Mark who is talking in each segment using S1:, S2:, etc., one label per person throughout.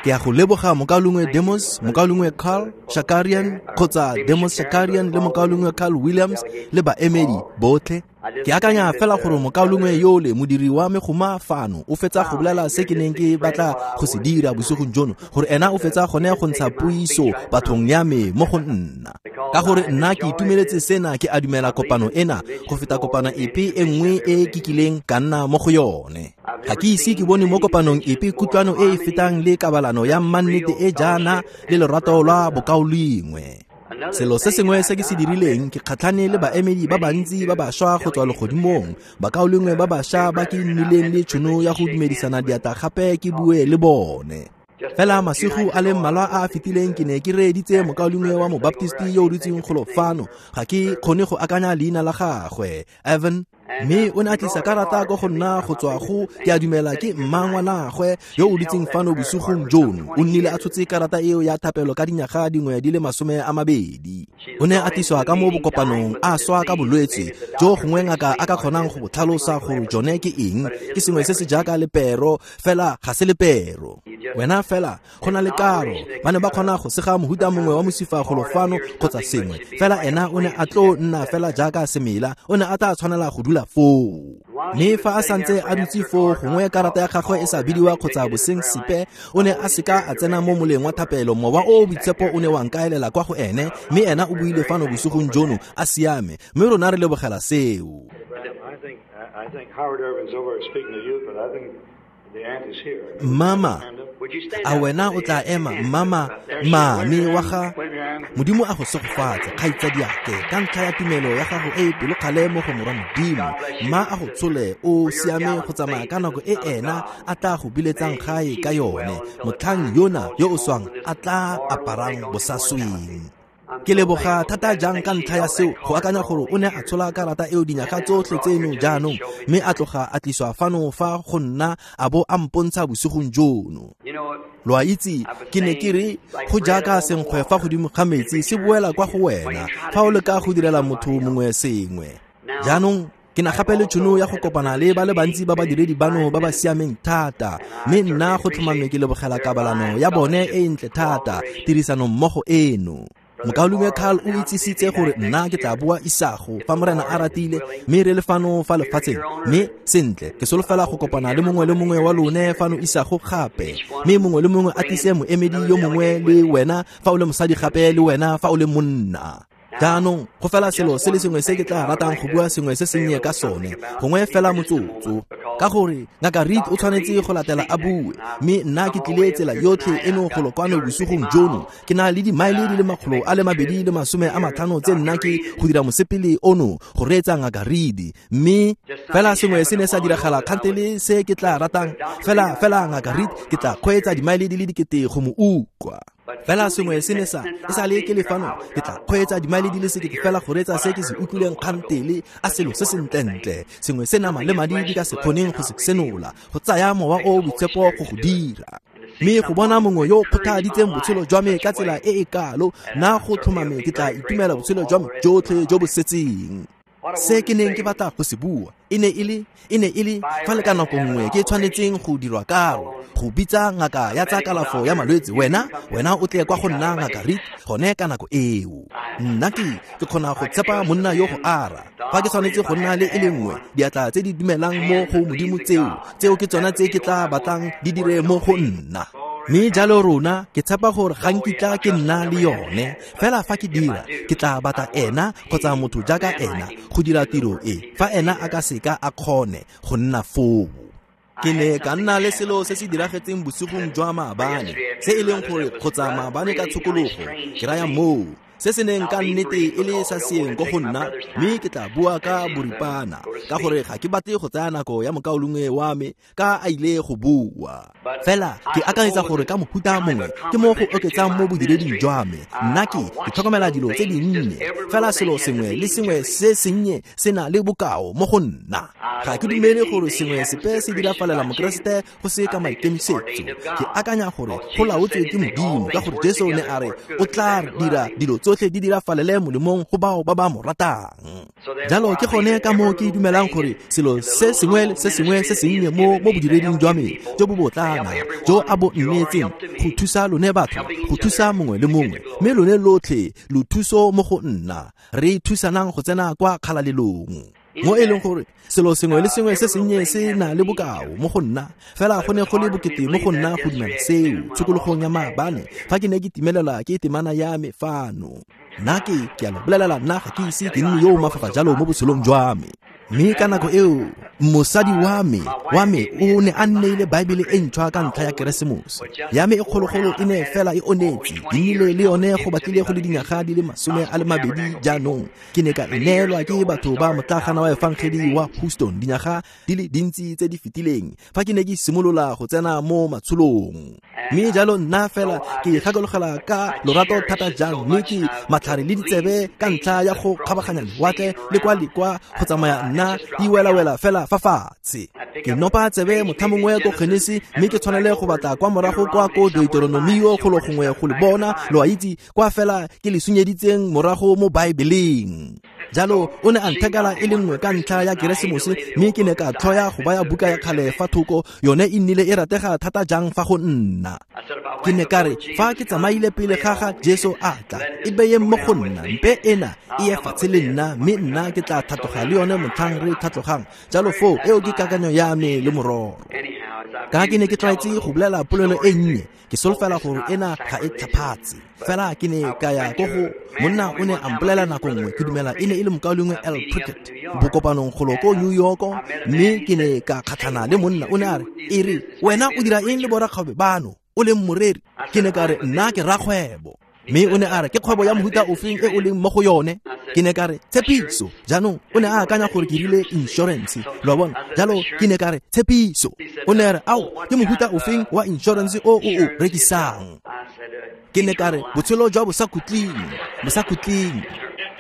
S1: Ke a go leboga mokaulengwe Demos, mokaulengwe Carl Shakarian kgotsa Demos Shakarian le mokaulengwe Carl Williams le baemedi botlhe. Ke akanya fela gore mokaulengwe yole modiri wa megoma fano o fetsa go bolela se ke neng ke batla go se dira bosigong jono, gore ena o fetsa gone go ntsha puiso bathong ya me mo go nna. Ka gore nna ke itumeletse sena, ke a dumela kopano ena go feta kopano epe e nngwe e ke kileng ka nna mo go yone. Ga ke ise ke bone mo kopanong epe kutlwano e e fetang le kabalano ya mannete e jaana le lorato lwa bokaulengwe. Selo se sengwe se ke se dirileng, ke kgatlhane le baemedi ba bantsi ba bašwa go tswa legodimong, bakaulengwe ba bašwa ba ke nnileng le tšhono ya go dumedisana diatla gape ke bue le bone. Fela masigo a le mmalwa a a fetileng ke ne ke reeditse mokaulengwe wa mobaptisti yo o dutseng golo fano, ga ke kgone go akanya leina la gagwe, Evan, mme o ne a tlisa karata ko go nna go tswa go, ke a dumela ke mmangwanagwe yo o dutseng fano bosigong jono. O nnile a tshotse karata eo ya thapelo ka dinyaga dingwe di le 20. O ne a tliswa ka mo bokopanong a swa ka bolwetse jo gongwe ngaka a ka kgonang go bo tlhalosa gore jone ke eng, ke sengwe se se jaaka lepero, fela ga se lepero. Wena fela go na le karo, ba ne ba kgona go sega mohuta mongwe wa mosifa golo fano kgotsa sengwe, fela ena o ne a tlo nna fela jaaka semela, o ne a tla tshwanela go dula foo. Mme fa a santse a dutse foo, gongwe karata ya gagwe e sa bidiwa kgotsa boseng sepe, o ne a seka a tsena mo moleng wa thapelo. Mowa o o boitshepo o ne wa nkaelela kwa go ene, mme ena o buile fano bosigong jono a siame, mme rona re lebogela seo.
S2: I think Howard Irving's over speaking to you, but I think the aunt is here.
S1: Mama, a wena o tla ema, mama, mame wa ga Modimo a go segofatse, kgaitsadiake, ka ntlha ya tumelo ya gago e e pelokgale mo go morwa Modimo. Mma a go tshole o siame go tsamaya ka nako e ena a tla go biletsang gae ka yone, motlhang yona yo o swang a tla aparang bosasweng. Ke leboga thata jang ka ntlha ya seo, go akanya gore o ne a tshola karata eo dinyaga tsotlhe tseno jaanong, mme a tloga a tliswa fano fa go nna a bo a mpontsha bosigong jono. Lo a itse, ke ne ke re go jaaka senkgwe fa godimo ga metsi se boela kwa go wena fa o leka go direla motho mongwe sengwe. Jaanong ke na gape le tšhono ya go kopana le ba le bantsi ba badiredi bano ba ba siameng thata, mme nna go tlhomame ke lebogela kabalano ya bone e ntle thata, tirisano mmogo eno. Mokaulengwe Carl o itsisitse gore nna ke tla boa isago fa Morena a ratile, mme re le fano fa lefatsheng, mme sentle ke solofela go kopana le mongwe le mongwe wa lone fano isago gape, mme mongwe le mongwe a tlise moemedi yo mongwe le wena fa o le mosadi gape le wena fa o le monna. Jaanong go fela selo se le sengwe se ke tla ratang go bua sengwe se sennye ka sone, gongwe fela motsotso, ka gore ngaka Reed o tshwanetse go latela a bue, mme nna ke tlile tsela yotlhe eno golo kwano bosigong jono. Ke na le dimaele di le 250 tse nna ke go dira mosepele ono go reetsa ngaka Reed, mme fela sengwe se ne sa diragala kgantele se ke tla ratang fela ngaka Reed ke tla kgweetsa dimaele di le 1000 go mo utlwa. Fela sengwe se ne sa e sa le ke le fano, ke tla kgweetsa dimaele di le 1000 fela go reetsa se ke se utlwileng kgantele, a selo se sentlentle, sengwe se nama le madi di ka se kgoneng go se senola, go tsaya mowa o o boitshepo go go dira. Mme go bona mongwe yo o kgothaditseng botshelo jwa me ka tsela e e kalo, nna go tlhomame ke tla itumela botshelo jwa me jotlhe jo bo setseng. Se ke neng ke batla go se bua e ne e le fa le ka nako nngwe ke tshwanetseng go dirwa karo, go bitsa ngaka ya tsa kalafo ya malwetse, wena o tle kwa go nna ngaka Reed gone ka nako eo. Nna ke kgona go tshepa monna yo go ara. Fa ke tshwanetse go nna le e le nngwe, diatla tse di dumelang mo go Modimo tseo ke tsona tse ke tla batlang di dire mo go nna. Mme jalo rona ke tshepa gore ga nkitla ke nna le yone, fela fa ke dira ke tla batla ena kgotsa motho jaaka ena go dira tiro e, fa ena a ka seka a kgone go nna foo. Ke ne ka nna le selo se se diragetseng bosigong jwa maabane, se e leng gore kgotsa maabane ka tshokologo, ke raya moo, se se neng ka nnete e le sa seeng ko go nna, mme ke tla bua ka boripana, ka gore ga ke batle go tsaya nako ya mokaulengwe wa me ka a ile go bua. Fela ke akanyetsa gore ka mohuta mongwe ke mo go oketsang mo bodireding jwa me. Nna ke tlhokomela dilo tse dinnye, fela selo sengwe le sengwe se sennye se na le bokao mo go nna. Ga ke dumele gore sengwe sepe se dirafalela Mokeresete go se ka maikemisetso. Ke akanya gore go laotswe ke Modimo, ka gore Jesu ne a re o tla dira dilo tsotlhe di dirafalele molemong go bao ba ba mo ratang. Jalo ke gone ka moo ke dumelang gore selo se sengwe le se sengwe se sennye mo bodireding jwa me jo bo botlana jo a bo nnetseng go thusa lone batho, go thusa mongwe le mongwe, mme lone lotlhe lo thuso mo go nna, re thusanang go tsena kwa kgalalelong. Mo e leng gore selo sengwe le sengwe se sennye se na le bokao mo go nna, fela go ne go le bokete mo go nna go dumela seo tshokologong ya maabane fa ke ne ke timelela ke temana ya me fano. Nna ke a lo bolelela, nna ga ke ise ke nne yo o mafafa jalo mo botshelong jwa me. Mme ka nako eo mosadi wa me o ne a nneile Baebele e ntšhwa ka ntlha ya Keresemose. Ya me e kgologolo e ne fela e onetse, ke nnile le yone go batlile go le dinyaga di le 22 jaanong. Ke ne ka e neelwa ke batho ba motlagana wa efangedi wa Houston dinyaga di le dintsi tse di fetileng fa ke ne ke simolola go tsena mo matsholong. Mme jalo nna fela ke gakologela ka lorato thata jang, mme ke matlhare le ditsebe ka ntlha ya go kgabaganya lewatle le kwa le kwa go tsamaya nna di welawela fela fa fatshe. Ke nopa tsebe motlha mongwe ko Genesi, mme ke tshwanele go batla kwa morago kwa ko Deuteronomio golo gongwe go le bona, lo a itse, kwa fela ke le sunyeditseng morago mo Baebeleng. Jalo o ne a nthekela e le nngwe ka ntlha ya Keresemose, mme ke ne ka tlhoya go baya buka ya kgale fa thoko, yone e nnile e ratega thata jang fa go nna. Ke ne ka re fa ke tsamaile pele ga ga Jesu a tla, e beye mo go nna, mpe ena e ye fatshe le nna, mme nna ke tla thatoga le yone motlhang re tlhatlogang. Jalo foo eo ke kakanyo ya me le mororo. Ka ke ne ke tlwaetse go bolela polelo e nnye, ke solofela gore ena ga e tlhaphatse. Fela ke ne ka ya ko go monna o ne a mpolela nako nngwe, ke dumela e ne e le mokaulengwe L. Prickett bokopanong golo ko New York, mme ke ne ka kgatlhana le monna, o ne a re, e re wena o dira eng le borakgwebo bano o leng moreri? Ke ne ka re nna ke rakgwebo. Mme o ne a re ke kgwebo ya mohuta ofeng e o leng mo go yone? Ke ne ka re tshepiso. Jaanong o ne a akanya gore ke rile insurance, lo a bona. Jalo ke ne ka re tshepiso. O ne a re ao, ke mohuta ofeng wa insurance o o o rekisang? Ke ne ka re botshelo jwa bosakhutleng.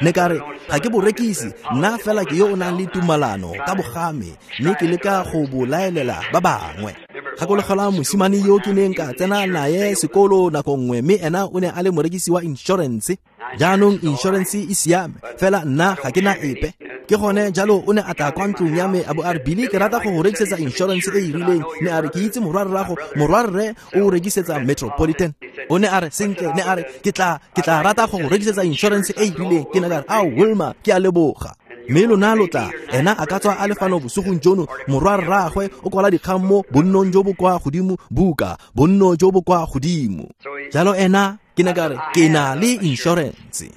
S1: Ne ka re ga ke bo rekise, nna fela ke yo o nang le tumalano ka bogame, mme ke leka go bo laelela ba bangwe. Gakologelwa mosimane yo ke neng ka tsena naye sekolo nako nngwe, mme ena o ne a le morekisi wa insurance. Jaanong insurance e siame, fela nna ga ke na epe. Ke gone jalo o ne a tla kwa ntlong ya me a bo a re, Billy, ke rata go go rekisetsa insurance e e rileng. Ne a re ke itse morwarrago, morwarre o rekisetsa Metropolitan. O ne a re sentle, ne a re ke tla rata go go rekisetsa insurance e e rileng. Ke ne ka re ao Wilma, ke a leboga. Mme lona lo tla, ena a ka tswa a le fano bosigong jono, morwarraagwe o kwala dikgang mo bonnong jo bo kwa godimo, buka bonno jo bo kwa godimo. Jalo ena ke ne ka re ke na le insurance.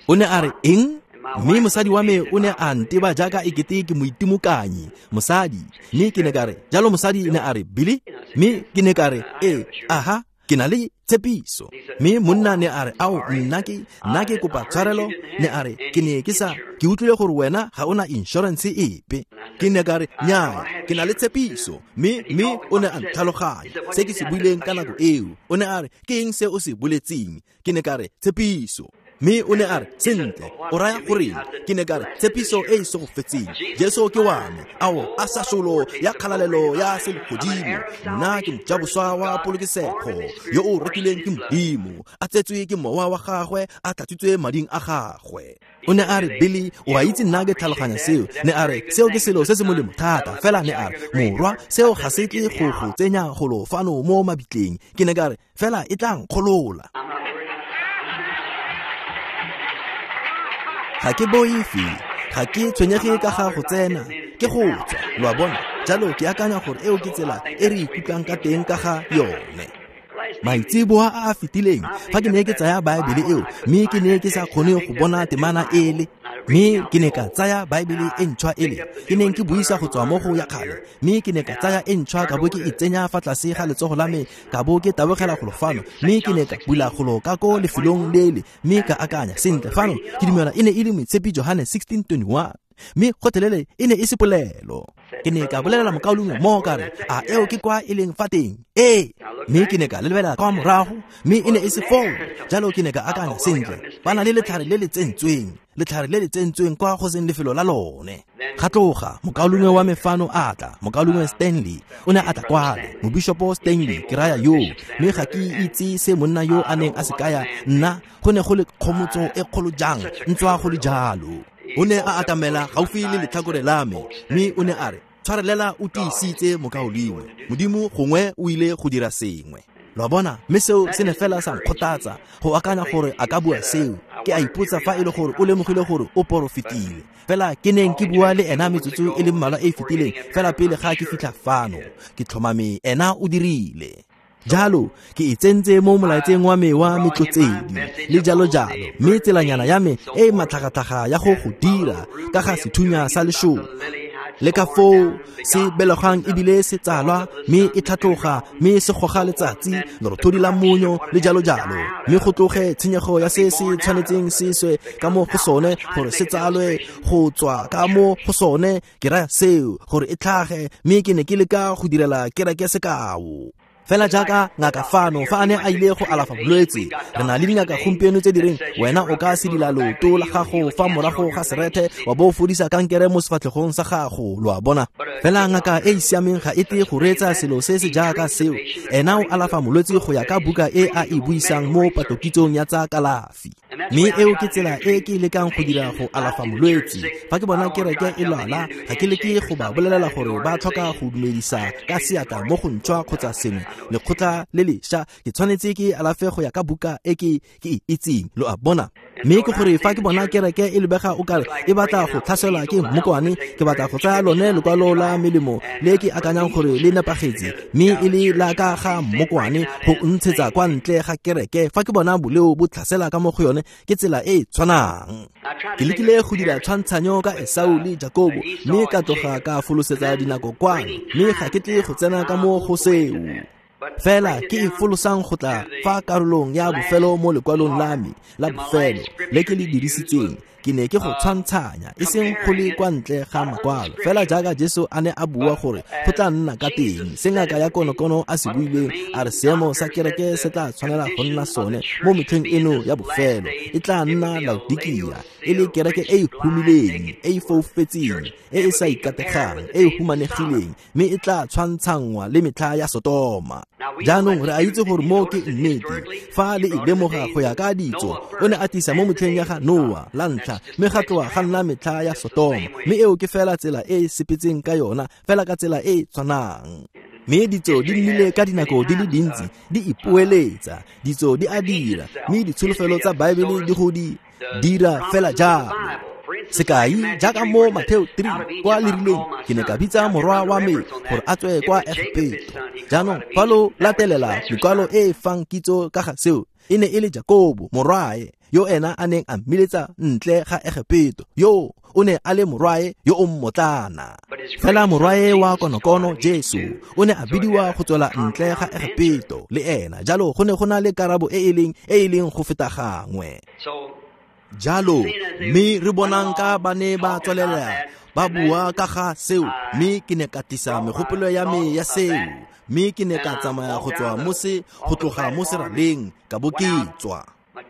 S1: O ne a re eng? Mme mosadi wa me o ne a nteba jaaka ekete ke moitimokanyi mosadi. Mme ke ne ka re jalo mosadi ne a re Billy, mme ke ne ka re ee, aha, ke na le tshepiso. Mme monna ne a re ao, nna ke kopa tshwarelo. Ne a re ke ne ke sa, ke utlwile gore wena ga ona insurance epe. Ke ne ka re nyaa, ke na le tshepiso. Mme o ne a ntlhaloganya se ke se buileng ka nako eo. O ne a re ke eng se o se boletseng? Ke ne ka re tshepiso. Mme o ne a re sentle, o raya goreng? Ke ne ka re tshepiso e e segofetseng, Jesu ke wa me, ao a sasolo ya kgalalelo ya selegodimo. Nna ke mojaboswa wa polokesego yo o rekileng ke Modimo, a tsetswe ke mowa wa gagwe, a tlatsitswe mading a gagwe. O ne a re Billy, o a itse nna ke tlhaloganya seo. Ne a re seo ke selo se se molemo thata, fela ne a re morwa, seo ga se tle go go tsenya golo fano mo mabitleng. Ke ne ka re fela e tla nkgolola. Ga ke boife, ga ke tshwenyege ka ga go tsena, ke go tswa, lo a bona. Jalo ke akanya gore eo ke tsela e re ikutlwang ka teng ka ga yone. Maitseboa a a fetileng fa ke ne ke tsaya Baebele eo, mme ke ne ke sa kgone go bona temana ele, mme ke ne ka tsaya Baebele e ntšhwa ele ke neng ke buisa go tswa mo go ya kgale, mme ke ne ka tsaya e ntšhwa ka bo ke e tsenya fa tlase ga letsogo la me, ka bo ke tabogela golo fano, mme ke ne ka bula golo ka ko lefelong lele, mme ka akanya sentle fano ke dumela e ne e le moitshepi Johane 16:21, mme gotlhelele e ne e se polelo. Ke ne ka bolelela mokaulengwe mo ka re a eo ke kwa e leng fa teng? Ee. Mme ke ne ka lebelela kwa morago, mme e ne e se foo. Jalo ke ne ka akanya sentle, ba na le letlhare le le tsentsweng. Letlhare le le tsentsweng kwa go seng lefelo la lone. Ga tloga mokaulengwe wa me fano a tla, mokaulengwe Stanley o ne a tla kwale, mobishopo Stanley ke raya yo, mme ga ke itse se monna yo a neng a se kaya nna, go ne go le kgomotso e kgolo jang ntswa go le jalo. O ne a atamela gaufi le letlhakore la me, mme o ne a re, tshwarelela o tiisitse mokaulengwe, Modimo gongwe o ile go dira sengwe. Lo a bona, mme seo se ne fela sa nkgothatsa go akanya gore a ka bua seo. Ke a ipotsa fa e le gore o lemogile gore o porofetile. Fela ke neng ke bua le ena metsotso e le mmalwa e e fetileng fela pele ga ke fitlha fano. Ke tlhomame ena o dirile. Jalo ke e tsentse mo molaetseng wa me wa metlotsedi le jalo jalo, mme tselanyana ya me e e matlhagatlhaga ya go go dira ka ga sethunya sa lešoba le ka foo se belegang ebile se tsalwa, mme e tlhatloga, mme se goga letsatsi, lerothodi la monyo le jalo jalo, mme go tloge tshenyego ya se se tshwanetseng se swe ka mo go sone gore se tsalwe go tswa ka mo go sone. Ke raya seo gore e tlhage, mme ke ne ke leka go direla kereke sekao. Fela jaaka ngaka fano fa a ne a ile go alafa bolwetse, re na le dingaka gompieno tse di reng wena o ka sedila leoto la gago fa morago ga serethe wa bo o fodisa kankere mo sefatlhegong sa gago, lo a bona. Fela ngaka e e siameng ga e tle go reetsa selo se se jaaka seo. Ena o alafa molwetse go ya ka buka e a e buisang mo patlokitsong ya tsa kalafi. Mme eo ke tsela e ke lekang go dira go alafa molwetse. Fa ke bona kereke e lwala, ga ke leke go ba bolelela gore ba tlhoka go dumedisa ka seatla mo go ntšhwa kgotsa sengwe, lekgotla le lešwa, ke tshwanetse ke alafe go ya ka buka e ke e itseng, lo a bona. Mme ke gore fa ke bona kereke e lebega o kare e batla go tlhaselwa ke mmokwane, ke batla go tsaya lone lekwalo la melemo le ke akanyang gore le nepagetse, mme e le la ka ga mmokwane go ntshetsa kwa ntle ga kereke. Fa ke bona boleo bo tlhasela ka mo go yone, ke tsela e e tshwanang. Ke lekile go dira tshwantshanyo ka Esau le Jakobo, mme ka tloga ka folosetsa dinako kwano, mme ga ke tle go tsena ka mo go seo. Fela ke e folosang go tla fa karolong ya bofelo mo lekwalong la me la bofelo le ke le dirisitseng. Ke ne ke go tshwantshanya, e seng go le kwa ntle ga makwalo, fela jaaka Jesu a ne a bua gore go tla nna ka teng. Se ngaka ya konokono a se buileng, a re seemo sa kereke se tla tshwanela go nna sone mo metlheng eno ya bofelo. E tla nna Laodikia, e le kereke e e humileng, e e foufetseng, e e sa ikategang, e e humanegileng, mme e tla tshwantshanngwa le metlha ya Sotoma. Jaanong re a itse gore mo ke nnete fa le e lemoga go ya ka ditso. O ne a tlisa mo metlheng ya ga Noa la ntlha, mme ga tloga ga nna metlha ya Sotoma, mme eo ke fela tsela e e sepetseng ka yona, fela ka tsela e e tshwanang. Mme ditso di nnile ka dinako di le dintsi di ipoeletsa, ditso di a dira, mme ditsholofelo tsa Baebele di go di dira fela jalo. Sekai jaaka mo Mateo 3 kwa le rileng, ke ne ka bitsa morwa wa me gore a tswe kwa Egepeto. Jaanong fa lo latelela mekwalo e e fang kitso ka ga seo, e ne e le Jakobo morwae yo ena a neng a mmiletsa ntle ga Egepeto, yo o ne a le morwae yo o mmotlana. Fela morwae wa konokono Jesu o ne a bidiwa go tswela ntle ga Egepeto le ena, jalo go ne go na le karabo e e leng go feta gangwe. Jalo mme re bonang ka ba ne ba tswelela ba bua ka ga seo, mme ke ne ka tlisa megopolo ya me ya seo, mme ke ne ka tsamaya go tswa mo se go tloga mo seraleng ka bo ke tswa.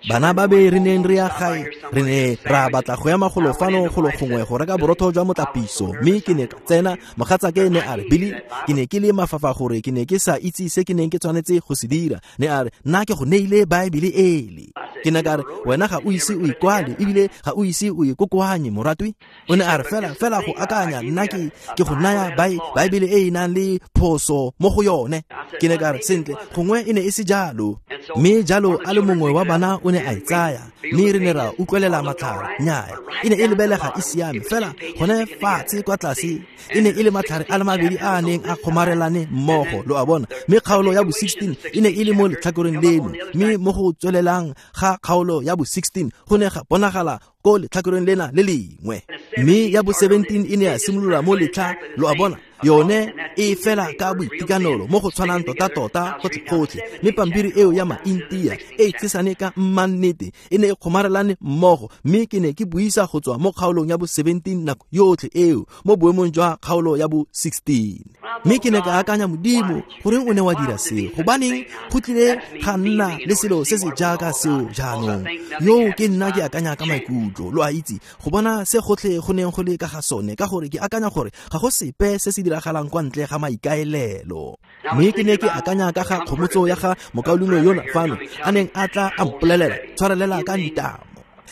S1: Bana ba be re neng re ya gae, re ne ra batla go ya magolo fano golo gongwe go reka borotho jwa motlapiso, mme ke ne ka tsena. Mogatsake ne a re, Billy, ke ne ke le mafafa gore ke ne ke sa itse se ke neng ke tshwanetse go se dira. Ne a re, nna ke go neile Baebele ele. Ke ne ka re, wena ga o ise o ikwale ebile ga o ise o ikokoanye, moratwi. O ne a re, fela go akanya nna ke go naya Baebele e e nang le phoso mo go yone. Ke ne ka re, sentle, gongwe e ne e se jalo. Mme jalo a le mongwe wa bana o ne a e tsaya, mme re ne ra utlwelela matlhare. Nnyaya, e ne e lebelega e siame, fela gone fatshe kwa tlase e ne e le matlhare a le mabedi a a neng a kgomarelane mmogo, lo a bona. Mme kgaolo ya bo 16 e ne e le mo letlhakoreng leno, mme mo go tswelelang ga kgaolo ya bo 16 go ne ga bonagala ko letlhakoreng lena le lengwe. Mme ya bo 17 e ne ya simolola mo letlha, lo a bona, yone e fela ka boitekanelo mo go tshwanang tota-tota gotlhe-gotlhe. Mme pampiri eo ya maintia e tshesane ka mmannete e ne e kgomarelane mmogo, mme ke ne ke buisa go tswa mo kgaolong ya bo 17 nako yotlhe eo mo boemong jwa kgaolo ya bo 16. Mme ke ne ka akanya, Modimo, goreng o ne wa dira seo? Gobaneng go tlile ga nna le selo se se jaaka seo jaanong? Yo ke nna ke akanya ka maikutlo. maikutlo, lo a itse, go bona se gotlhe go neng go le ka ga sone, ka gore ke akanya gore ga go sepe se se diragalang kwa ntle ga maikaelelo. Mme ke ne ke akanya ka ga kgomotso ya ga mokaulengwe yona fano, a neng a tla a mpolelela, tshwarelela ka ntamo.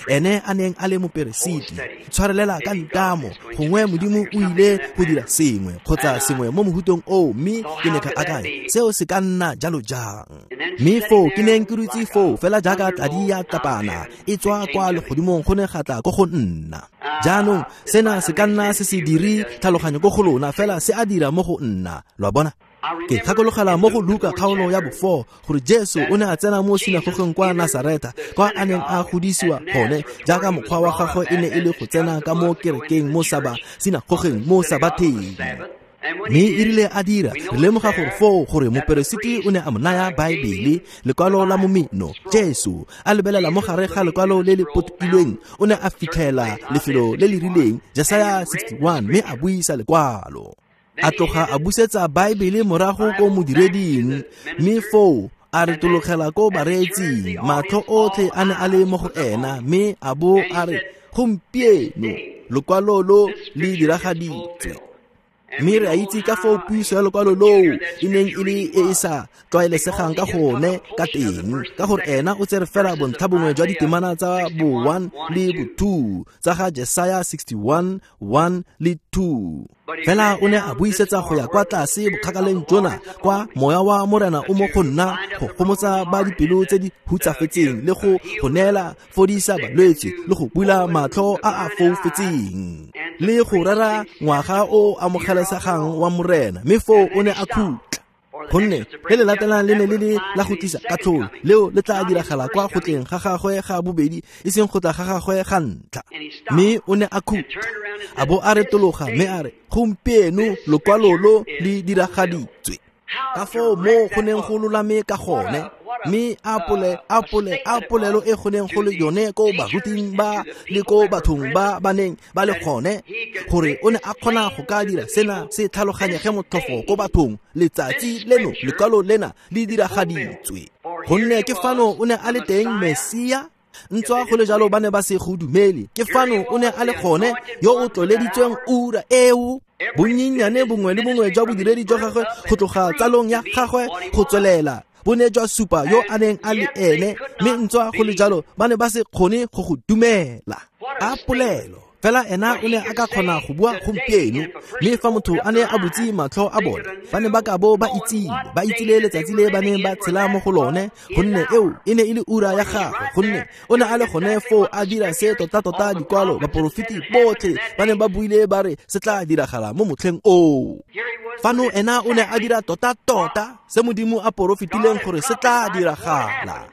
S1: Ene a neng a le moperesiti, tshwarelela ka ntamo, gongwe Modimo o ile go dira sengwe kgotsa sengwe mo mohutong oo, mme ke ne ka akanya seo se ka nna jalo jang. Mme foo ke neng ke dutse foo fela jaaka tladi ya tapana e tswa kwa legodimong go ne ga tla ko go nna. Jaanong sena se ka nna se se dire tlhaloganyo ko go lona, fela se a dira mo go nna, lo a bona. Ke gakologela mo go Luka kgaolo ya bo-4 gore Jesu o ne a tsena mo sinagogeng kwa Nasareta, kwa a neng a godisiwa gone, jaaka mokgwa wa gagwe e ne e le go tsena ka mo kerekeng mo sinagogeng mo sabatheng. Mme e rile a dira, re lemoga gore foo gore moperesiti o ne a mo naya Baebele, lekwalo la momeno. Jesu a lebelela mo gare ga lekwalo le le potilweng, o ne a fitlhela lefelo le le rileng, Jesaya 61, mme a buisa lekwalo. A tloga a busetsa Baebele morago ko modireding, mme foo a retologela ko bareetsing. Matlho otlhe a ne a le mo go ena, mme a bo a re, gompieno lekwalo lo le diragaditswe. Mme re a itse ka foo puiso ya lekwalo loo e neng e le e e sa tlwaelesegang ka gone ka teng, ka gore ena o tsere fela bontlha bongwe jwa ditemana tsa bo 1 le bo 2 tsa ga Jesaya 61 1 le 2. Fela o ne a buisetsa go ya kwa tlase bokgakaleng jona, kwa moya wa Morena o mo go nna go gomotsa ba dipelo tse di hutsafetseng, le go go neela fodisa balwetse, le go bula matlho a a foufetseng, le go rera ngwaga o amogelesegang wa Morena. Mme foo o ne a khutla, gonne le le latelang le ne le le la go tlisa katlholo, leo le tla diragala kwa go tleng ga gagwe ga bobedi, e seng go tla ga gagwe ga ntlha. Mme o ne a khutla, a bo a retologa mme a re, gompieno lekwalo lo le diragaditswe. Ka foo mo go neng go lolame ka gone, mme a polelo e go neng go le yone ko baruting ba le ko bathong ba ba neng ba le gone, gore o ne a kgona go ka dira sena se tlhaloganyege motlhofo ko bathong, letsatsi leno lekwalo lena le diragaditswe. Gonne ke fano o ne a le teng Mesia, ntswa go le jalo ba ne ba se go dumele. Ke fano o ne a le gone yo o tloleditsweng ura eo. Bonyenyane bongwe le bongwe jwa bodiredi jwa gagwe go tloga tsalong ya gagwe go tswelela bo ne jwa supa yo a neng a le ene, mme ntswa go le jalo ba ne ba se kgone go go dumela. A polelo fela ena o ne a ka kgona go bua gompieno, mme fa motho a ne a butse matlho a bone, ba ne ba ka bo ba itsile letsatsi le ba neng ba tshela mo go lone, gonne eo e ne e le ura ya gagwe, gonne o ne a le gone foo a dira se tota-tota dikwalo baporofeti botlhe ba ne ba buile ba re se tla diragala mo motlheng oo. Fano ena o ne a dira tota-tota se Modimo a porofetileng gore se tla diragala.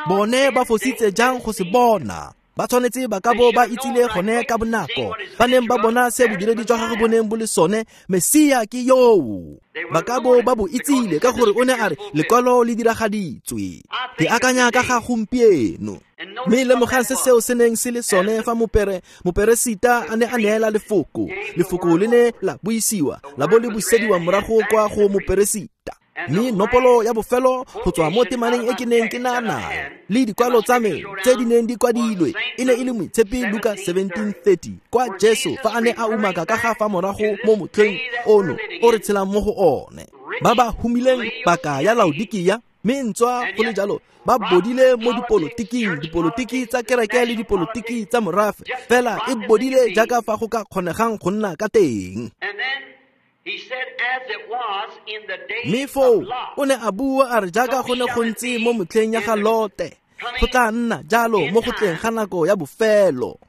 S1: Bone ba fositse jang go se bona? Ba tshwanetse ba ka bo ba itsile gone ka bonako, ba neng ba bona se bodiredi jwa gagwe bo neng bo le sone, Mesia ke yoo. Ba ka bo ba bo itsile ka gore o ne a re lekwalo le diragaditswe. Ke akanya ka ga gompieno. Mme lemogang se seo se neng se le sone fa moperesita a ne a neela lefoko. Lefoko le ne la buisiwa, la bo le busediwa morago kwa go moperesita. Mme nopolo ya bofelo go tswa mo temaneng e ke neng ke na nayo le dikwalo tsa me tse di neng di kwadilwe e ne e le Moitshepi Luka 17:30, kwa Jesu fa a ne a umaka ka ga fa morago mo motlheng ono o re tshelang mo go one, ba ba humileng paka ya Laodikia, mme ntswa go le jalo ba bodile mo dipolotiking, dipolotiki tsa kereke le dipolotiki tsa morafe, fela e bodile jaaka fa go ka kgonegang go nna ka teng. Mme foo o ne a bua a re jaaka go ne go ntse mo motlheng ya ga Lote, go tla nna jalo mo go tleng ga nako ya bofelo.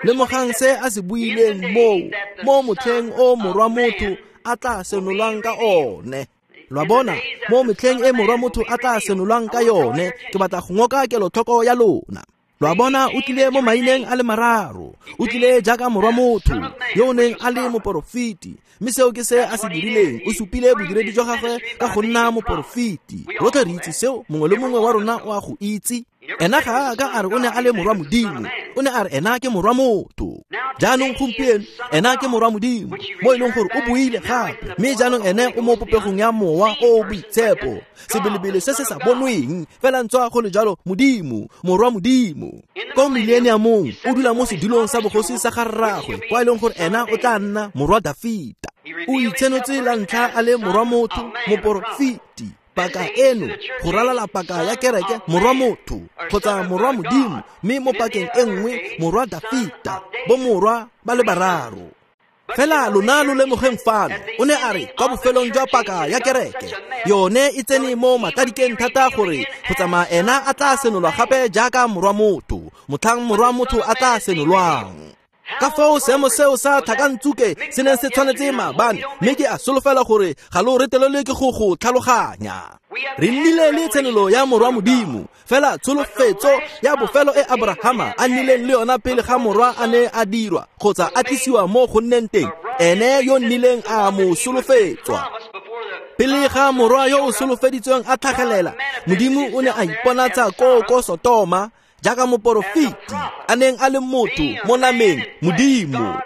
S1: Lemogang se a se buileng moo, mo motlheng o morwa motho a tla senolwang ka one. Lo a bona, mo metlheng e morwa motho a tla senolwang ka yone, ke batla go ngoka kelotlhoko ya lona. Lo a bona, o tlile mo maineng a le mararo. O tlile jaaka morwa motho yo o neng a le moporofeti, mme seo ke se a se dirileng. O supile bodiredi jwa gagwe ka go nna moporofeti. Rotlhe re itse seo, mongwe le mongwe wa rona o a go itse. Ena ga a ka a re o ne a le morwa Modimo, o ne a re ena ke morwa motho. Jaanong gompieno ena ke morwa Modimo, mo e leng gore o boile gape, mme jaanong ene o mo popegong ya Mowa o o Boitshepo, sebelebele se se sa bonweng, fela ntswa go le jalo Modimo, morwa Modimo. Ko mileniamong o dula mo sedulong sa bogosi sa ga rraagwe, kwa e leng gore ena o tla nna morwa Dafita. O itshenotse la ntlha a le morwa motho, moporofeti. Paka eno go ralala paka ya kereke, morwa motho kgotsa morwa Modimo, mme mo pakeng e nngwe morwa Dafita, bo morwa ba le bararo. Fela lona lo lemogeng fano, o ne a re kwa bofelong jwa paka ya kereke, yone e tsene mo matladikeng thata gore go tsamaya ena a tla senolwa gape jaaka morwa motho, motlhang morwa motho a tla senolwang. Ka foo seemo seo sa tlhakantsuke se neng se tshwanetse maabane, mme ke a solofela gore ga lo retelelwe ke go go tlhaloganya. Re nnile le tshenolo ya morwa Modimo, fela tsholofetso ya bofelo e Abrahama a nnileng le yona pele ga morwa a ne a dirwa kgotsa a tlisiwa mo go nneng teng, ene yo nnileng a mo solofetswa. Pele ga morwa yo o solofeditsweng a tlhagelela, Modimo o ne a iponatsa koo ko Sotoma jaaka moporofeti a neng a le motho mo nameng, Modimo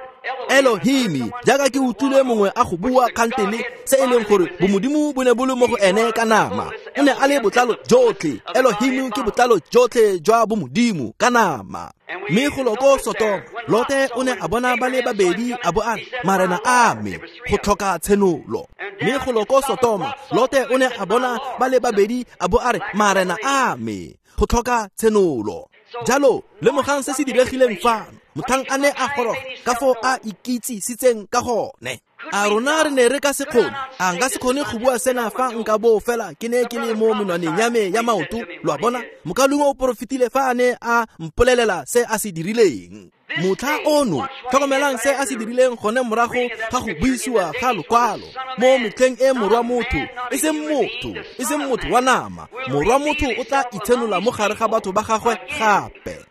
S1: Elohimi, jaaka ke utlwile mongwe a go bua kgantele, se e leng gore bomodimo bo ne bo le mo go ene ka nama. O ne a le botlalo jotlhe. Elohimi ke botlalo jotlhe jwa bomodimo ka nama. Mme go lo ko Sotoma, Lote o ne a bona ba le babedi a bo a re, marena a me, go tlhoka tshenolo. Mme go lo ko Sotoma, Lote o ne a bona ba le babedi a bo a re, marena a me, go tlhoka tshenolo. Jalo lemogang se se diregileng fano, motlhang a ne a goroga ka foo a ikitsisitseng ka gone. A rona re ne re ka se kgone, a nka se kgone go bua sena fa nka bo fela ke ne ke le mo menwaneng ya me ya maoto. Lo a bona, mokaulengwe o porofetile fa a ne a mpolelela se a se dirileng. Motlha ono, tlhokomelang se a se dirileng gone morago ga go buisiwa ga lokwalo mo metlheng e morwa motho, e seng motho, e seng motho wa nama, morwa motho o tla itshenola mo gare ga batho ba gagwe gape.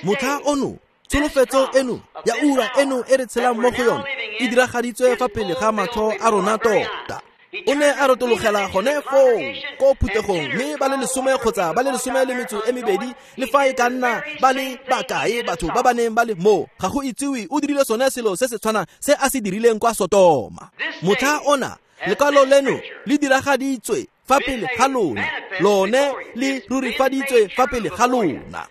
S1: Motlha ono, tsholofetso eno ya ura eno e re tshelang mo go yone e diragaditswe fa pele ga matlho a rona tota. O ne a retologela gone foo ko phuthegong, mme ba le 10 kgotsa ba le 12 le fa e ka nna ba le bakae batho ba ba neng ba le mo, ga go itsiwe. O dirile sone selo se se tshwanang se a se dirileng kwa Sotoma. Motlha ona, lekwalo leno le diragaditswe fa pele ga lona, lone le rurifaditswe fa pele ga lona.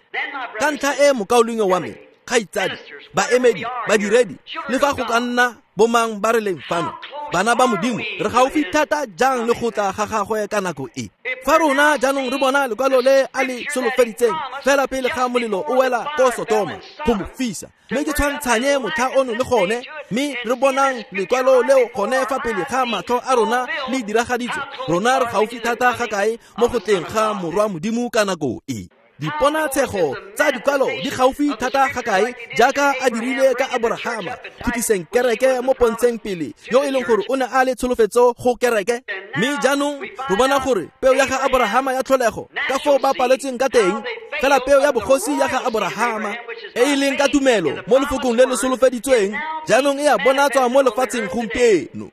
S1: Ka ntlha e mokaulengwe wa me, kgaitsadi, baemedi, badiredi, le fa go ka nna bomang ba re leng fano, bana ba Modimo, re gaufi thata jang le go tla ga gagwe ka nako e. Fa rona jaanong re bona lekwalo le a le solofeditseng fela pele ga molelo o wela ko Sotoma go mo fisa, mme ke tshwantshanye motlha ono le gone, mme re bonang lekwalo leo gone fa pele ga matlho a rona le diragaditswe, rona re gaufi thata ga kae mo go tleng ga morwa Modimo ka nako e. Diponatshego tsa dikwalo di gaufi thata ga kae jaaka a dirile ka Aborahama, khutliseng kereke mo pontsheng pele, yo e leng gore o ne a le tsholofetso go kereke. Mme jaanong re bona gore peo ya ga Aborahama ya tlholego ka foo ba paletsweng ka teng, fela peo ya bogosi ya ga Aborahama e e leng ka tumelo mo lefokong le le solofeditsweng, jaanong e a bonatswa mo lefatsheng gompieno.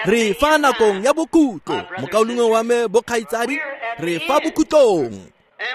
S1: Re fa nakong ya bokhutlo, mokaulengwe wa me bokgaitsadi, re fa bokhutlong.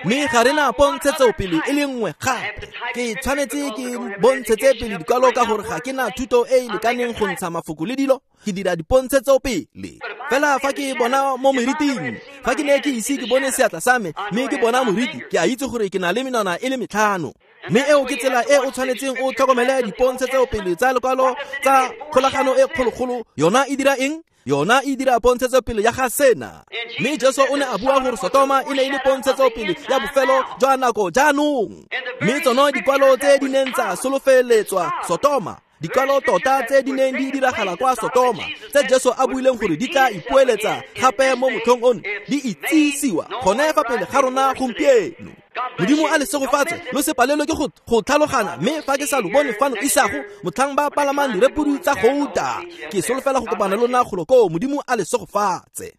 S1: Mme ga re na pontshetso pele e le nngwe gape. Ke tshwanetse ke bontshetse pele dikwalo ka gore ga ke na thuto e e lekaneng go ntsha mafoko le dilo, ke dira dipontshetso pele. Fela fa ke bona mo moriting, fa ke ne ke ise ke bone seatla sa me, mme ke bona moriti, ke a itse gore ke na le menwana e le 5. Mme eo ke tsela e o tshwanetseng o tlhokomele dipontshetso pele tsa lekwalo tsa kgolagano e kgologolo. Yona e dira eng? Yona e dira pontshetso pele ya ga sena. Mme Jesu o ne a bua gore Sotoma e ne e le pontshetso pele ya bofelo jwa nako jaanong. Mme tsone dikwalo tse di neng tsa solofeletswa Sotoma, dikwalo tota tse di neng di diragala kwa Sotoma, tse Jesu a buileng gore di tla ipoeletsa gape mo motlhong ono, di itsisiwa gone fa pele ga rona gompieno. Modimo a le segofatse, lo se palelwe ke go tlhaloganya, mme fa ke sa lo bone fano isago, motlhang ba palamang direpodi tsa gouta, ke solofela go kopana le lona golo koo. Modimo a le segofatse.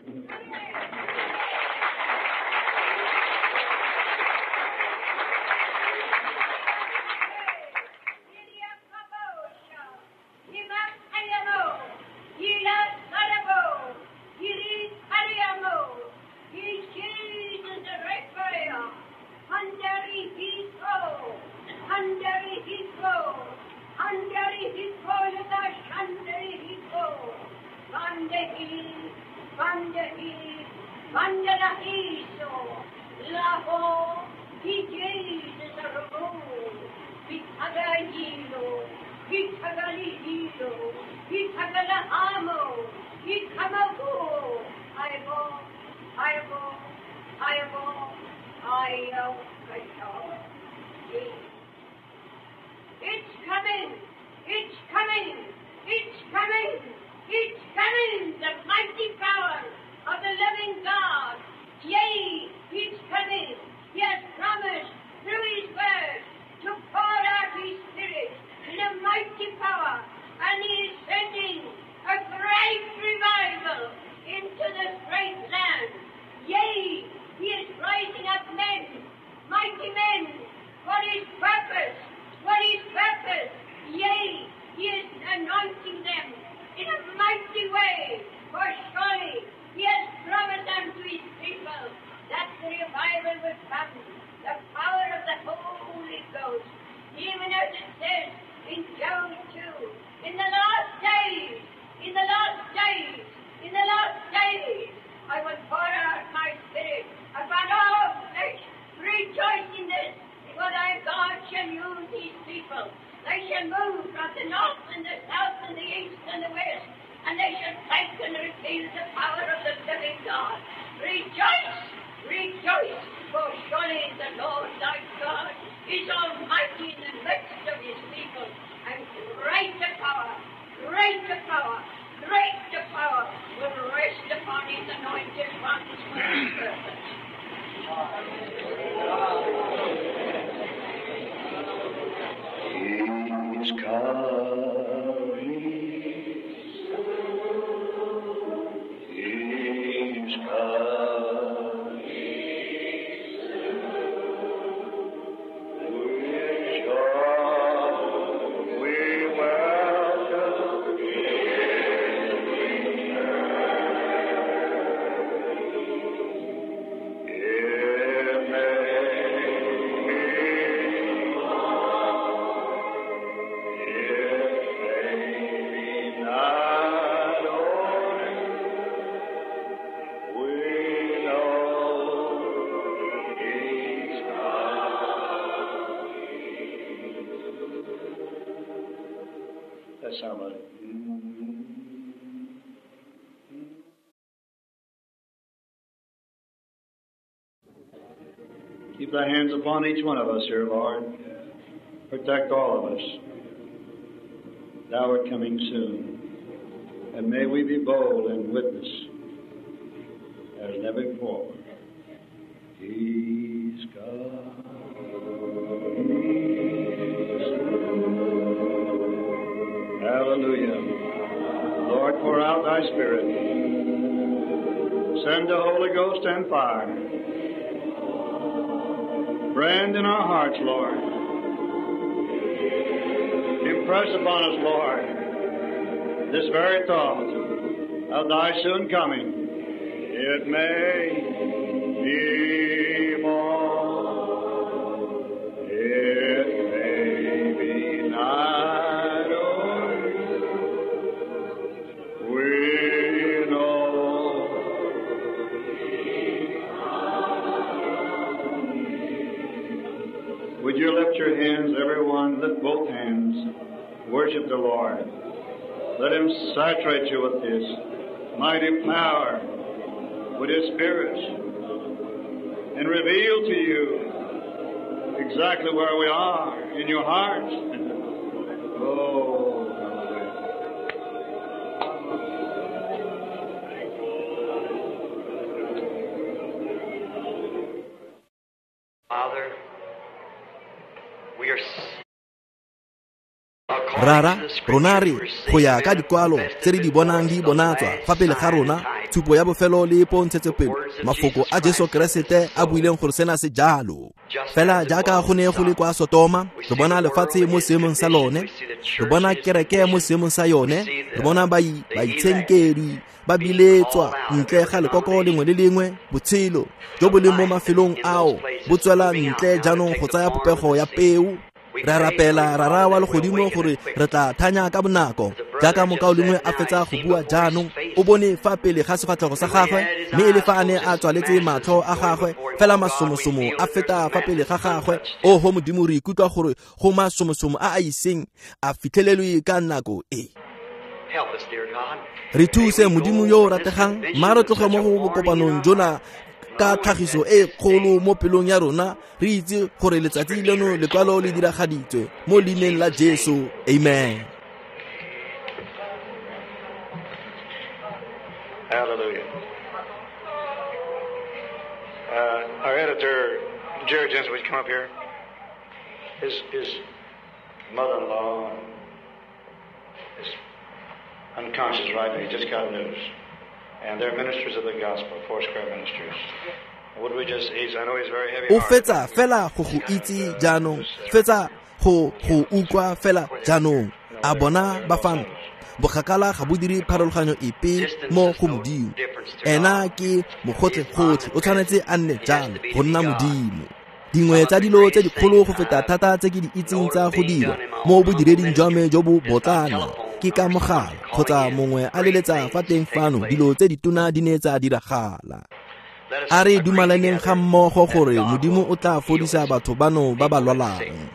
S3: Under It's coming! It's coming! It's coming! It's coming! The mighty power of the living God! Yea, it's coming! He has promised through His word to pour out His Spirit in a mighty power, and He is sending a great revival into this great land. Yea, He is rising up men, mighty men, for His purpose. For His purpose. Yea, He is anointing them in a mighty way. For surely He has promised unto His people that the revival will come, the power of the Holy Ghost. Even as it says in Joel 2, in the last days, in the last days, in the last days, I will pour out my Spirit upon all flesh. Rejoice in this, for thy God shall use His people. They shall move from the north and the south and the east and the west, and they shall take and reveal the power of the living God. Rejoice, rejoice, for surely the Lord thy God is almighty in the midst of His people, and greater power, greater power, greater power will rest upon His anointed ones for His purpose.
S2: He's coming. He's coming. With joy we welcome His return. It may be Keep thy hands upon each one of us here, Lord. Protect all of us. Thou art coming soon. And may we be bold and witness as never before. He's coming soon. Hallelujah. Lord, pour out thy Spirit. Send the Holy Ghost and fire. Brand in our hearts, Lord. Impress upon us, Lord, this very thought of thy soon coming. It may be more, it may be night or we know. Would you lift your hands, everyone? Lift both hands. Worship the Lord. Let Him saturate you with His mighty power, with His Spirit, and reveal to you exactly where we are in your heart. Oh, hallelujah.
S4: Father, we are
S1: Rara, rona re go ya ka dikwalo tse re di bonang di bonatswa fa pele ga rona, tshupo ya bofelo le pontshetsopele, mafoko a Jesu Keresete a buileng gore sena se jalo. Fela jaaka go ne go le kwa Sotoma, re bona lefatshe mo seemong sa lone, re bona kereke mo seemong sa yone, re bona baitshenkedwi ba biletswa ntle ga lekoko lengwe le lengwe, botshelo jo bo leng mo mafelong ao bo tswela ntle jaanong go tsaya popego ya peo. Re rapela Rara wa legodimo gore re tla thanya ka bonako. Jaaka mokaulengwe a fetsa go bua jaanong, o bone fa pele ga sefatlhego sa gagwe, mme e le fa a ne a tswaletse matlho a gagwe, fela masomosomo a feta fa pele ga gagwe. Oho Modimo, re ikutlwa gore go masomosomo a a iseng a fitlhelelwe ka nako e. Re thuse Modimo yo o rategang, mma re tloge mo go bokopanong jona ka tlhagiso e kgolo mo pelong ya rona, re itse gore letsatsi leno lekwalo le diragaditswe mo leineng la Jesu. Amen.
S2: Hallelujah. Our editor, Jerry Jensen, would you come up here? His mother-in-law is unconscious right now. He just got news. And they're ministers of the gospel, Foursquare ministers. Would we just, I know he's very heavy.
S1: O fetsa fela go go itse jaanong, fetsa go go utlwa fela jaanong. A bona ba fano. Bokgakala ga bo dire pharologanyo epe mo go Modimo. Ena ke mogotlhe-gotlhe, o tshwanetse a nne jalo go nna Modimo. Dingwe tsa dilo tse dikgolo go feta thata tse ke di itseng tsa go dira mo bodireding jwa me jo bo botlana ke ka mogala kgotsa mongwe a leletsa fa teng fano, dilo tse ditona di ne tsa diragala. A re dumalaneng ga mmogo gore Modimo o tla fodisa batho bano ba ba lwalang.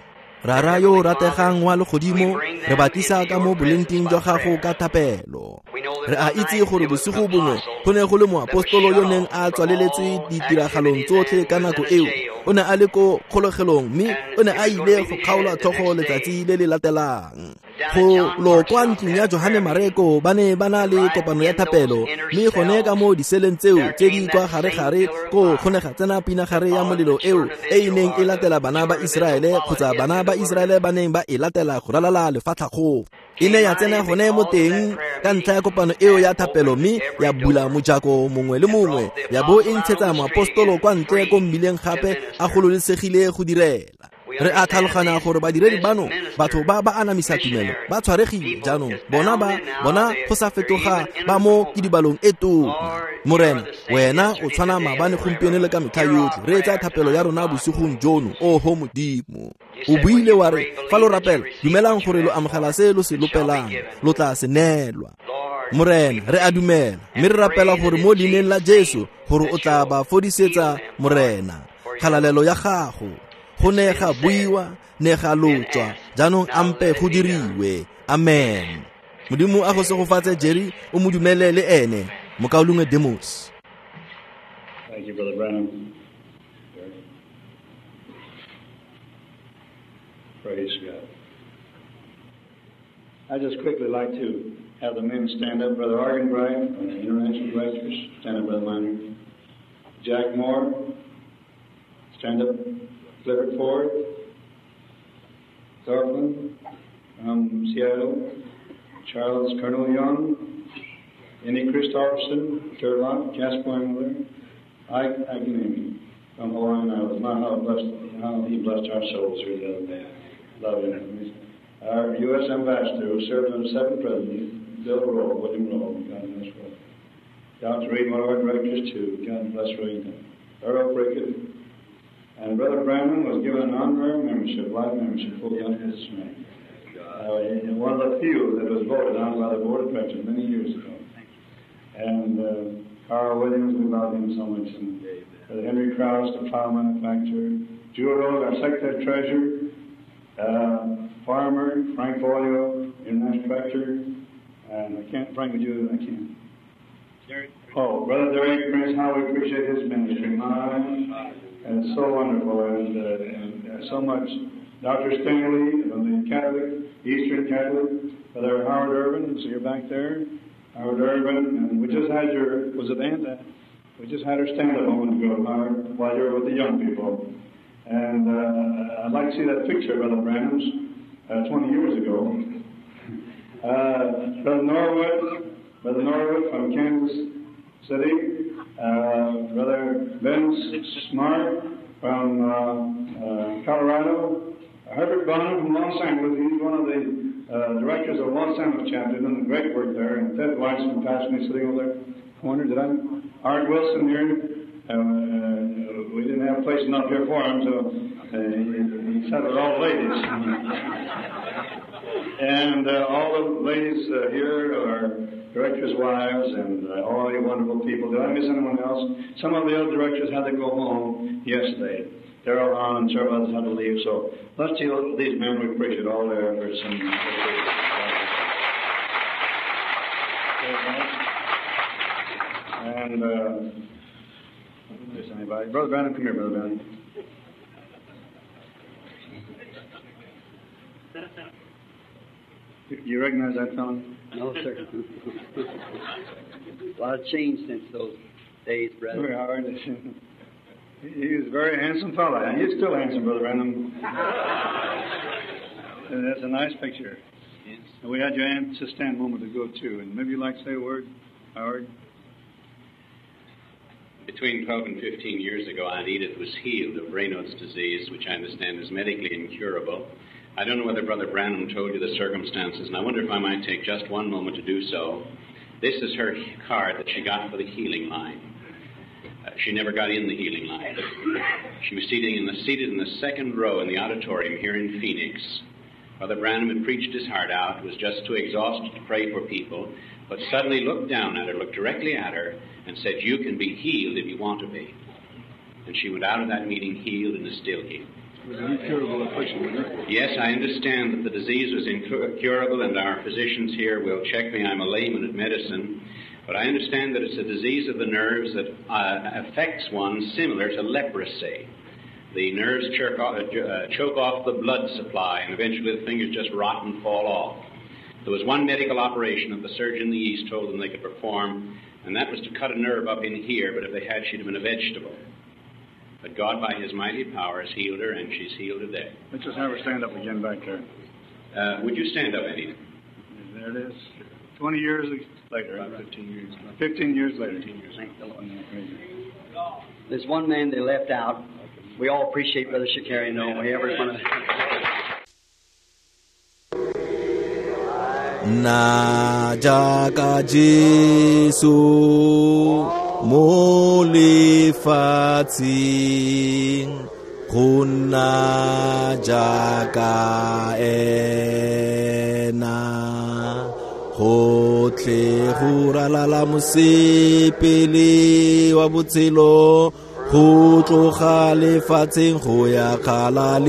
S1: Rara yo o rategang wa legodimo, re ba tlisa ka mo bolengteng jwa gago ka thapelo. Re a itse gore bosigo bongwe go ne go le moapostolo yo neng a tswaleletswe ditiragalong tsotlhe ka nako eo. O ne a le ko kgolegelong mme o ne a ile go kgaolwa tlhogo letsatsi le le latelang. Go lo kwa ntlong ya Johane Mareko ba ne ba na le kopano ya thapelo, mme gone ka mo diseleng tseo tse di kwa gare-gare ko go ne ga tsena pinagare ya molelo eo e e neng e latela bana ba Iseraele kgotsa bana ba Iseraele ba neng ba e latela go ralala lefatlhago. E ne ya tsena gone mo teng ka ntlha ya kopano eo ya thapelo, mme ya bula mojako mongwe le mongwe, ya bo e ntshetsa moapostolo kwa ntle ko mmileng gape a gololesegile go direla. Re a tlhaloganya gore badiredi bano, batho ba ba anamisa tumelo, ba tshwaregile jaanong. Bona ba bona go sa fetoga ba mo kidibalong e tona. Morena, wena o tshwana maabane, gompieno le ka metlha yotlhe. Re etsa thapelo ya rona bosigong jono, oho Modimo. O buile wa re, fa lo rapela, dumelang gore lo amogela se lo se lopelang, lo tla se neelwa. Morena, re a dumela, mme re rapela gore mo leineng la Jesu gore o tla ba fodisetsa, Morena. Kgalalelo ya gago. Go ne ga buiwa, ne ga lotswa, jaanong ampe go diriwe. Amen. Modimo a go segofatse Jerry, o mo dumele le ene, mokaulengwe Demos.
S2: Thank you, Brother Branham. Praise God. I just quickly like to have the men stand up. Brother Arganbright from the International Directors, stand up, Brother Miner. Jack Moore, stand up. Clifford Ford, Thorfinn from Seattle, Charles Colonel Young, Annie Christofferson, Turlock, Jasper Miller, Ike Agnemi from Hawaiian Islands. My, how he blessed our souls here the other day. Love him. Our U.S. Ambassador, who served under 7 presidents, Bill Rowe, William Rowe, God bless Rowe. Dr. Reed, one of our directors, too. God bless Reed. Earl Prickett. And Brother Branham was given an honorary membership, life membership, full under his name. One of the few that was voted on by the board of directors many years ago. And Carl Williams, we love him so much. And Brother Henry Krause, the plow manufacturer. Jewel Rose, our secretary treasurer. Farmer, Frank Boyle, international director. And I can't, Frank, would you? I can't. Oh, Brother Derek Prince, how we appreciate his ministry. My, and it's so wonderful, and so much. Dr. Stanley from the Catholic, Eastern Catholic, Brother Howard Irvin, so you're back there. Howard Irvin, and we just had your, was it Aunt? We just had her stand up a moment ago, Howard, while you were with the young people. And I'd like to see that picture, Brother Branham's, 20 years ago. Brother Norwood from Kansas City, Brother Ben Smart from Colorado, Herbert Bonham from Los Angeles. He's one of the directors of Los Angeles chapter, doing great work there. And Ted Weiss from Pasadena sitting over there. Corner, did I? Art Wilson here. We didn't have a place enough here for him, so he sat with all the ladies. And all the ladies here are directors' wives and all you wonderful people. Did I miss anyone else? Some of the other directors had to go home yesterday. Darrell Hahn and several others had to leave. So let's see these men. We appreciate all their efforts. And miss anybody? Brother Branham, come here, Brother Branham. You recognize that fellow?
S4: No, sir. A lot of change since those days, brother.
S2: Very hard. He was a very handsome fellow. And he's still handsome, Brother Branham. And that's a nice picture.
S4: Yes.
S2: And we had your aunt to stand a moment ago, too. And maybe you'd like to say a word, Howard?
S5: Between 12 and 15 years ago, Aunt Edith was healed of Raynaud's disease, which I understand is medically incurable. I don't know whether Brother Branham told you the circumstances, and I wonder if I might take just one moment to do so. This is her card that she got for the healing line. She never got in the healing line. She was seated in the second row in the auditorium here in Phoenix. Brother Branham had preached his heart out, was just too exhausted to pray for people, but suddenly looked down at her, looked directly at her, and said, "You can be healed if you want to be." And she went out of that meeting healed and is still healed.
S2: It was an incurable affliction, wasn't it?
S5: Yes, I understand that the disease was incurable, and our physicians here will check me. I'm a layman at medicine. But I understand that it's a disease of the nerves that affects one similar to leprosy. The nerves choke off the blood supply, and eventually the fingers just rot and fall off. There was one medical operation that the surgeon in the East told them they could perform, and that was to cut a nerve up in here, but if they had, she'd have been a vegetable. But God, by His mighty power, has healed her, and she's healed today.
S2: Let's just have her stand up again back there.
S5: Would you stand up, Eddie?
S2: There it is. 20 years later.
S5: About 15 years.
S2: 15 years later.
S5: 15 years.
S4: Thank the Lord. There's one man they left out. We all appreciate Brother Shakarian, don't we? Everyone.
S1: Na jaaka Jesu mo lefatsheng, go nna jaaka ena, gotlhe go ralala mosepele wa botshelo, go tloga lefatsheng go ya kgalalelong.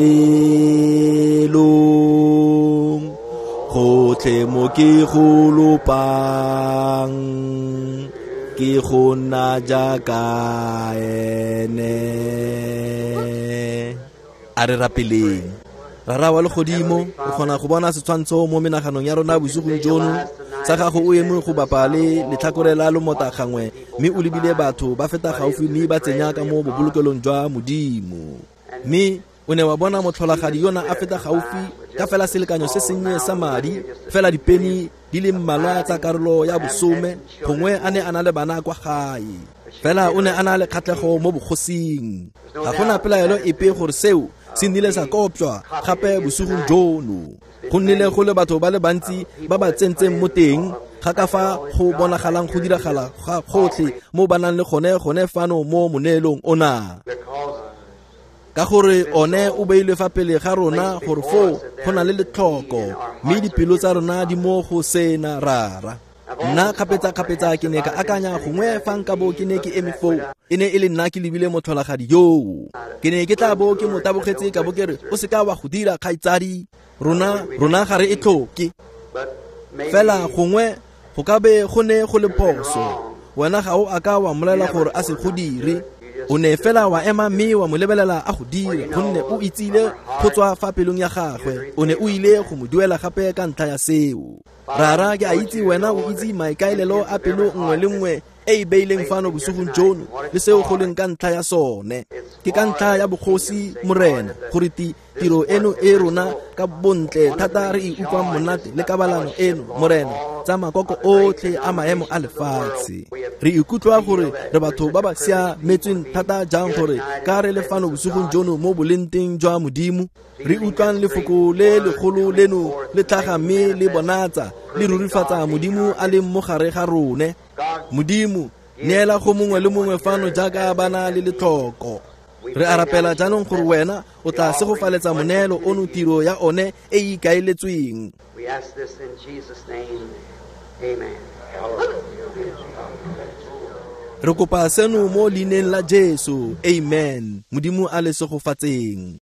S1: Gotlhe mo ke go lopang, ke go nna jaaka ene. A re rapeleng. Rara wa legodimo, re kgona go bona setshwantsho mo menaganong ya rona bosigong jono sa gago o eme go bapa le letlhakore la lomota gangwe, mme o lebile batho ba feta gaufi mme ba tsenya ka mo bobolokelong jwa Modimo. Mme o ne wa bona motlholagadi yona a feta gaufi ka fela selekanyo se sennye sa madi, fela dipeni di le mmalwa tsa karolo ya bosome, gongwe a ne a na le bana kwa gae. Fela o ne a na le kgatlhego mo bogosing. Ga gona pelaelo epe gore seo se nnile sa kopjwa gape bosigong jono. Go nnile go le batho ba le bantsi ba ba tsentseng mo teng ga ka fa go bonagalang go diragala ga gotlhe mo ba nang le gone fano mo moneelong ona. Ka gore one o beilwe fa pele ga rona gore foo go na le letlhoko, mme dipelo tsa rona di mo go sena rara. Nna kgapetsa-kgapetsa ke ne ka akanya gongwe fa nka bo ke ne ke eme foo, e ne e le nna ke lebile motlholagadi yoo. Ke ne ke tla bo ke mo tabogetse ka bo ke re, o seka wa go dira kgaitsadi, rona ga re e tlhoke. Fela gongwe go ka be go ne go le phoso, wena ga o a ka wa mmolelela gore a se go dire. O ne fela wa ema mme wa mo lebelela a go dira, gonne o itsile go tswa fa pelong ya gagwe, o ne o ile go mo duela gape ka ntlha ya seo. Rara, ke a itse wena o itse maikaelelo a pelo nngwe le nngwe e e beileng fano bosigong jono le seo go leng ka ntlha ya sone. Ke ka ntlha ya bogosi Morena gore tiro eno e rona ka bontle thata re e utlwang monate le kabalano eno Morena tsa makoko otlhe a maemo a lefatshe. Re ikutlwa gore re batho ba ba siametsweng thata jang gore ka re le fano bosigong jono mo bolenteng jwa Modimo, re utlwang lefoko le legolo leno le tlhaga mme le bonatsa le rurifatsa Modimo a leng mo gare ga rone. Modimo, neela go mongwe le mongwe fano jaaka ba na le letlhoko. Re a rapela jaanong gore wena o tla segofaletsa moneelo ono tiro ya one e e ikaeletsweng.
S4: We ask this in Jesus' name. Amen.
S1: Re kopa seno mo leineng la Jesu. Amen. Modimo a le segofatseng.